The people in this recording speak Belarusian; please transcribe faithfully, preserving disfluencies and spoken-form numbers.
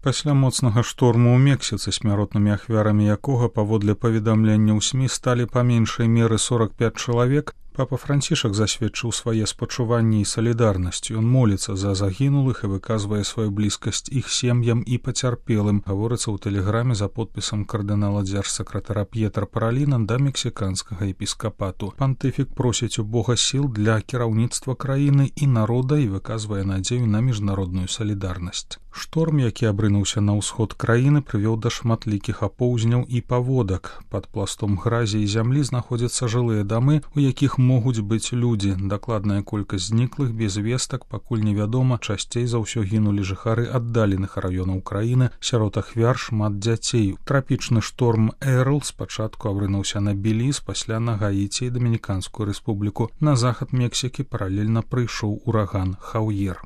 Пасля моцнага шторму ў Мексіцы, смяротнымі ахвярамі якога, паводле паведамленняў СМІ, сталі па меншай меры сорок пяць чалавек, папа Францішак засведчыў свае спачуванні і салідарнасць. Ён моліцца за загінулых і выказвае сваю блізкасць іх сем'ям і пацярпелым, гаворыцца ў тэлеграме за подпісам кардынала дзяржсакратара П'етра Параліна да мексіканскага епіскапату. Пантыфік просіць у Бога сіл для кіраўніцтва краіны і народа і выказвае надзею на міжнародную салідарнасць. Шторм, які абрынуўся на ўсход краіны, прывёў да шматлікіх апоўзняў і паводак. Пад пластом гразі і зямлі знаходзяцца жылыя дамы, у якіх могуць быць людзі. Дакладная колькасць зніклых без вестак пакуль невядома. Часцей за ўсё гінулі жыхары аддаленых раёнаў краіны, сярод ахвяр шмат дзяцей. Трапічны шторм Эрл спачатку абрынуўся на Беліз, пасля на Гаіці і Дамініканскую рэспубліку. На захад Мексікі паралельна прыйшоў ураган Хаўер.